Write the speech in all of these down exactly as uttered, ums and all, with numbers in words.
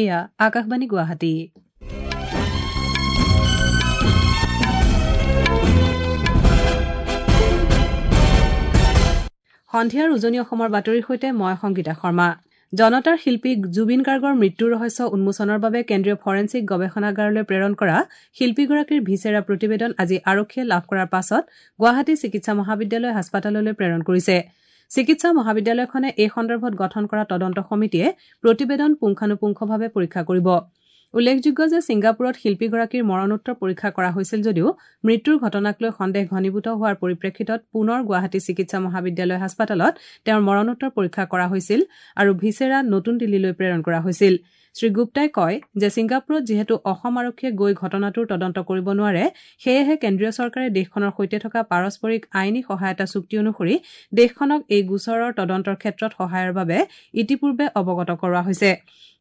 এয়া আকাশবাণী গুৱাহাটী। সন্ধিয়াৰ উজনি অসমৰ বাতৰিৰ সৈতে মই সংগীতা শৰ্মা। জনতাৰ শিল্পী জুবিন গাৰ্গৰ মৃত্যুৰ ৰহস্য উন্মোচনৰ বাবে কেন্দ্ৰীয় ফৰেনছিক গৱেষণাগাৰলৈ প্ৰেৰণ কৰা শিল্পীগৰাকীৰ ভিচেৰা প্ৰতিবেদন আজি আৰক্ষীয়ে লাভ কৰাৰ পাছত গুৱাহাটী চিকিৎসা মহাবিদ্যালয় হাস্পতাললৈ প্ৰেৰণ কৰিছে। চিকিৎসা মহাবিদ্যালয়খনে এই সন্দৰ্ভত গঠন কৰা তদন্ত সমিতিয়ে প্ৰতিবেদন পুংখানুপুংখভাৱে পৰীক্ষা কৰিব। উল্লেখযোগ্য যে ছিংগাপুৰত শিল্পীগৰাকীৰ মৰণোত্তৰ পৰীক্ষা কৰা হৈছিল যদিও মৃত্যুৰ ঘটনাক লৈ সন্দেহ ঘনীভূত হোৱাৰ পৰিপ্ৰেক্ষিতত পুনৰ গুৱাহাটী চিকিৎসা মহাবিদ্যালয় হাস্পতালত তেওঁৰ মৰণোত্তৰ পৰীক্ষা কৰা হৈছিল আৰু ভিচেৰা নতুন দিল্লীলৈ প্ৰেৰণ কৰা হৈছিল। শ্ৰীগুপ্তাই কয় যে ছিংগাপুৰত যিহেতু অসম আৰক্ষীয়ে গৈ ঘটনাটোৰ তদন্ত কৰিব নোৱাৰে, সেয়েহে কেন্দ্ৰীয় চৰকাৰে দেশখনৰ সৈতে থকা পাৰস্পৰিক আইনী সহায়তা চুক্তি অনুসৰি দেশখনক এই গোচৰৰ তদন্তৰ ক্ষেত্ৰত সহায়ৰ বাবে ইতিপূৰ্বে অৱগত কৰোৱা হৈছে।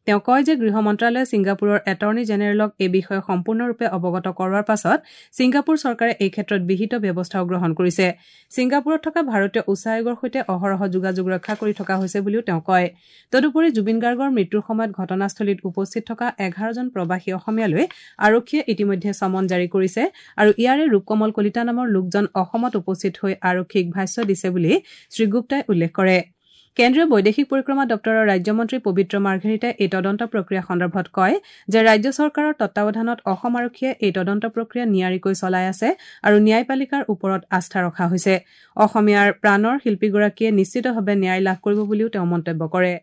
তেওঁ কয় যে গৃহ মন্ত্ৰালয়ে ছিংগাপুৰৰ এটৰ্নী জেনেৰেলক এই বিষয়ে সম্পূৰ্ণৰূপে অৱগত কৰোৱাৰ পাছত ছিংগাপুৰ চৰকাৰে এই ক্ষেত্ৰত বিহিত ব্যৱস্থাও গ্ৰহণ কৰিছে। ছিংগাপুৰত থকা ভাৰতীয় উচ্চায়োগৰ সৈতে অহৰহ যোগাযোগ ৰক্ষা কৰি থকা হৈছে বুলিও তেওঁ কয়। তদুপৰি জুবিন গাৰ্গৰ মৃত্যুৰ সময়ত ঘটনাস্থলীত উপস্থিত থকা এঘাৰজন প্ৰৱাসী অসমীয়ালৈ আৰক্ষীয়ে ইতিমধ্যে চমন জাৰি কৰিছে আৰু ইয়াৰে ৰূপকমল কলিতা নামৰ লোকজন অসমত উপস্থিত হৈ আৰক্ষীক ভাষ্য দিছে বুলি শ্ৰীগুপ্তাই উল্লেখ কৰে। কেন্দ্ৰীয় বৈদেশিক পৰিক্ৰমা দপ্তৰৰ ৰাজ্যমন্ত্ৰী পবিত্ৰ মাৰ্ঘেৰিটাই এই তদন্ত প্ৰক্ৰিয়া সন্দৰ্ভত কয় যে ৰাজ্য চৰকাৰৰ তত্বাৱধানত অসম আৰক্ষীয়ে এই তদন্ত প্ৰক্ৰিয়া নিয়াৰিকৈ চলাই আছে আৰু ন্যায়পালিকাৰ ওপৰত আস্থা ৰখা হৈছে। অসমীয়াৰ প্ৰাণৰ শিল্পীগৰাকীয়ে নিশ্চিতভাৱে ন্যায় লাভ কৰিব বুলিও তেওঁ মন্তব্য কৰে।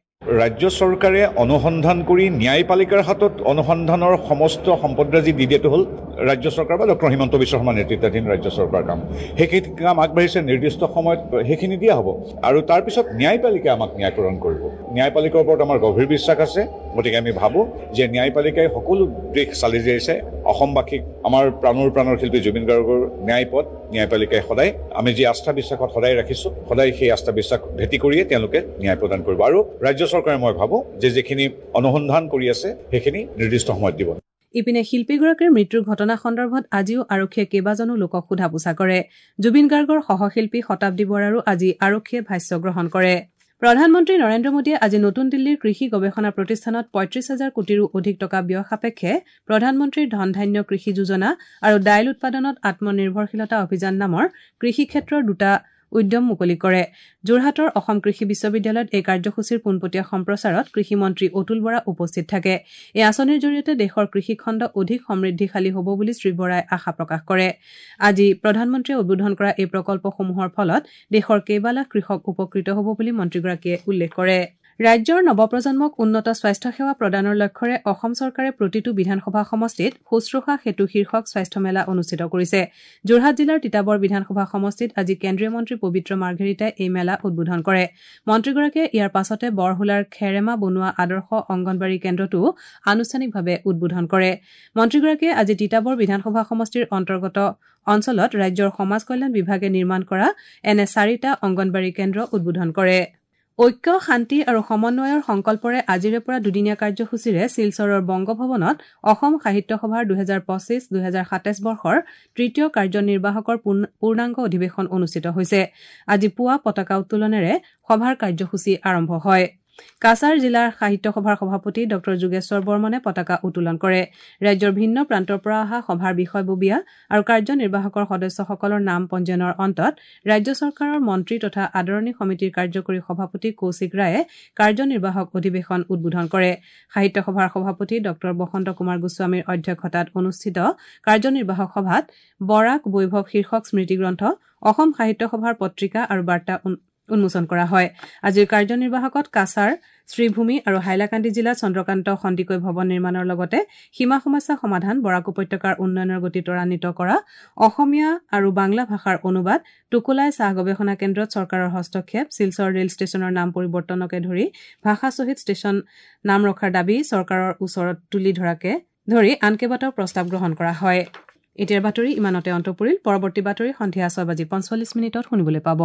ৰাজ্য চৰকাৰে অনুসন্ধান কৰি ন্যায়পালিকাৰ হাতত অনুসন্ধানৰ সমস্ত সম্পদৰাজি দি দিয়াটো হ'ল ৰাজ্য চৰকাৰ বা ডক্টৰ হিমন্ত বিশ্ব শৰ্মা নেতৃত্বাধীন ৰাজ্য চৰকাৰৰ কাম। সেইখিনি কাম আগবাঢ়িছে, নিৰ্দিষ্ট সময়ত সেইখিনি দিয়া হ'ব আৰু তাৰপিছত ন্যায়পালিকাই আমাক ন্যায় প্ৰদান কৰিব। ন্যায়পালিকাৰ ওপৰত আমাৰ গভীৰ বিশ্বাস আছে, গতিকে আমি ভাবোঁ যে ন্যায়পালিকাই সকলো দিশ চালি জাৰিছে। অসমবাসীক আমাৰ প্ৰাণৰ প্ৰাণৰ শিল্পী জুবিন গাৰ্গৰ ন্যায় পথ ন্যায়পালিকাই সদায় আমি যি আস্থা বিশ্বাসত সদায় ৰাখিছোঁ, সদায় সেই আস্থা বিশ্বাস ভেটি কৰিয়ে তেওঁলোকে ন্যায় প্ৰদান কৰিব। আৰু ৰাজ্য চৰকাৰে মই ভাবোঁ যে যিখিনি অনুসন্ধান কৰি আছে সেইখিনি নিৰ্দিষ্ট সময়ত দিব। ইপিনে শিল্পীগৰাকীৰ মৃত্যুৰ ঘটনা সন্দৰ্ভত আজিও আৰক্ষীয়ে কেইবাজনো লোকক সোধা পোছা কৰে। জুবিন গাৰ্গৰ সহশিল্পী শতাব্দী বৰাৰো আজি আৰক্ষীয়ে ভাষ্য গ্ৰহণ কৰে। প্ৰধানমন্ত্ৰী নৰেন্দ্ৰ মোদীয়ে আজি নতুন দিল্লীৰ কৃষি গৱেষণা প্ৰতিষ্ঠানত পঁয়ত্ৰিশ হাজাৰ কোটিৰো অধিক টকা ব্যয় সাপেক্ষে প্ৰধানমন্ত্ৰীৰ ধন ধান্য কৃষি যোজনা আৰু দাইল উৎপাদনত আত্মনিৰ্ভৰশীলতা অভিযান নামৰ কৃষি ক্ষেত্ৰৰ দুটা উদ্যম মুকলি কৰে। যোৰহাটৰ অসম কৃষি বিশ্ববিদ্যালয়ত এই কাৰ্যসূচীৰ পোনপটীয়া সম্প্ৰচাৰত কৃষিমন্ত্ৰী অতুল বৰা উপস্থিত থাকে। এই আঁচনিৰ জৰিয়তে দেশৰ কৃষিখণ্ড অধিক সমৃদ্ধিশালী হ'ব বুলি শ্ৰীবৰাই আশা প্ৰকাশ কৰে। আজি প্ৰধানমন্ত্ৰীয়ে উদ্বোধন কৰা এই প্ৰকল্পসমূহৰ ফলত দেশৰ কেইবালাখ কৃষক উপকৃত হ'ব বুলি মন্ত্ৰীগৰাকীয়ে উল্লেখ কৰে। ৰাজ্যৰ নৱপ্ৰজন্মক উন্নত স্বাস্থ্যসেৱা প্ৰদানৰ লক্ষ্যৰে অসম চৰকাৰে প্ৰতিটো বিধানসভা সমষ্টিত শুশ্ৰূষা সেতু শীৰ্ষক স্বাস্থ্য মেলা অনুষ্ঠিত কৰিছে। যোৰহাট জিলাৰ তিতাবৰ বিধানসভা সমষ্টিত আজি কেন্দ্ৰীয় মন্ত্ৰী পবিত্ৰ মাৰ্ঘেৰিটাই এই মেলা উদ্বোধন কৰে। মন্ত্ৰীগৰাকীয়ে ইয়াৰ পাছতে বৰহোলাৰ খেৰেমা বনোৱা আদৰ্শ অংগনবাড়ী কেন্দ্ৰটোও আনুষ্ঠানিকভাৱে উদ্বোধন কৰে। মন্ত্ৰীগৰাকীয়ে আজি তিতাবৰ বিধানসভা সমষ্টিৰ অন্তৰ্গত অঞ্চলত ৰাজ্যৰ সমাজ কল্যাণ বিভাগে নিৰ্মাণ কৰা এনে চাৰিটা অংগনবাড়ী কেন্দ্ৰ উদ্বোধন কৰে। ঐক্য, শান্তি আৰু সমন্বয়ৰ সংকল্পৰে আজিৰে পৰা দুদিনীয়া কাৰ্যসূচীৰে শিলচৰৰ বংগভৱনত অসম সাহিত্য সভাৰ দুহেজাৰ পঁচিছ দুহেজাৰ সাতাইছ বৰ্ষৰ তৃতীয় কাৰ্যনিৰ্বাহকৰ পূৰ্ণাংগ অধিৱেশন অনুষ্ঠিত হৈছে। আজি পুৱা পতাকা উত্তোলনেৰে সভাৰ কাৰ্যসূচী আৰম্ভ হয়। কাছাৰ জিলাৰ সাহিত্য সভাৰ সভাপতি ডক্টৰ যোগেশ্বৰ বৰ্মনে পতাকা উত্তোলন কৰে। ৰাজ্যৰ ভিন্ন প্ৰান্তৰ পৰা অহা সভাৰ বিষয়ববীয়া আৰু কাৰ্যনিৰ্বাহকৰ সদস্যসকলৰ নাম পঞ্জীয়নৰ অন্তত ৰাজ্য চৰকাৰৰ মন্ত্ৰী তথা আদৰণি সমিতিৰ কাৰ্যকৰী সভাপতি কৌশিক ৰায়ে কাৰ্যনিৰ্বাহক অধিৱেশন উদ্বোধন কৰে। সাহিত্য সভাৰ সভাপতি ডক্টৰ বসন্ত কুমাৰ গোস্বামীৰ অধ্যক্ষতাত অনুষ্ঠিত কাৰ্যনিৰ্বাহক সভাত বৰাক বৈভৱ শীৰ্ষক স্মৃতিগ্ৰন্থ, অসম সাহিত্য সভাৰ পত্ৰিকা আৰু বাৰ্তা উন্মোচন কৰা হয়। আজিৰ কাৰ্যনিৰ্বাহকত কাছাৰ, শ্ৰীভূমি আৰু হাইলাকান্দি জিলাত চন্দ্ৰকান্ত সন্দিকৈ ভৱন নিৰ্মাণৰ লগতে সীমা সমস্যা সমাধান, বৰাক উপত্যকাৰ উন্নয়নৰ গতি ত্বৰান্বিত কৰা, অসমীয়া আৰু বাংলা ভাষাৰ অনুবাদ, টোকোলাই চাহ গৱেষণা কেন্দ্ৰত চৰকাৰৰ হস্তক্ষেপ, শিলচৰ ৰেল ষ্টেচনৰ নাম পৰিৱৰ্তনকে ধৰি ভাষা শ্বহীদ ষ্টেচন নাম ৰখাৰ দাবী চৰকাৰৰ ওচৰত তুলি ধৰাকে ধৰি আন কেইবাটাও প্ৰস্তাৱ গ্ৰহণ কৰা হয়। এতিয়াৰ বাতৰি ইমানতে অন্ত পৰিল। পৰৱৰ্তী বাতৰি সন্ধিয়া ছয় বাজি পঞ্চল্লিছ মিনিটত শুনিবলৈ পাব।